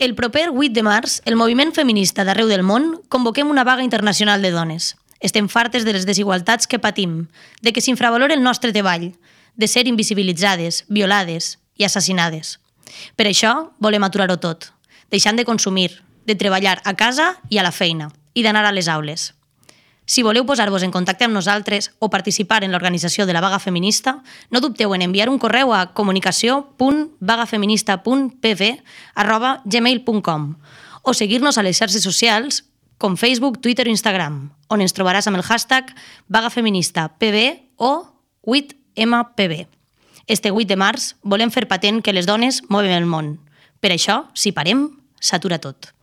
El proper 8 de març, el moviment feminista d'arreu del món convoquem una vaga internacional de dones. Estem fartes de les desigualtats que patim, de que s'infravalora el nostre treball, de ser invisibilitzades, violades i assassinades. Per això volem aturar-ho tot, deixant de consumir, de treballar a casa i a la feina, i d'anar a les aules. Si voleu posar-vos en contacte amb nosaltres o participar en l'organització de la vaga feminista, no dubteu en enviar un correu a comunicació.vagafeminista.pv@gmail.com o seguir-nos a les xarxes socials com Facebook, Twitter o Instagram, on ens trobaràs amb el hashtag vagafeministapv o 8mpv. Este 8 de març volem fer patent que les dones movem el món. Per això, si parem, s'atura tot.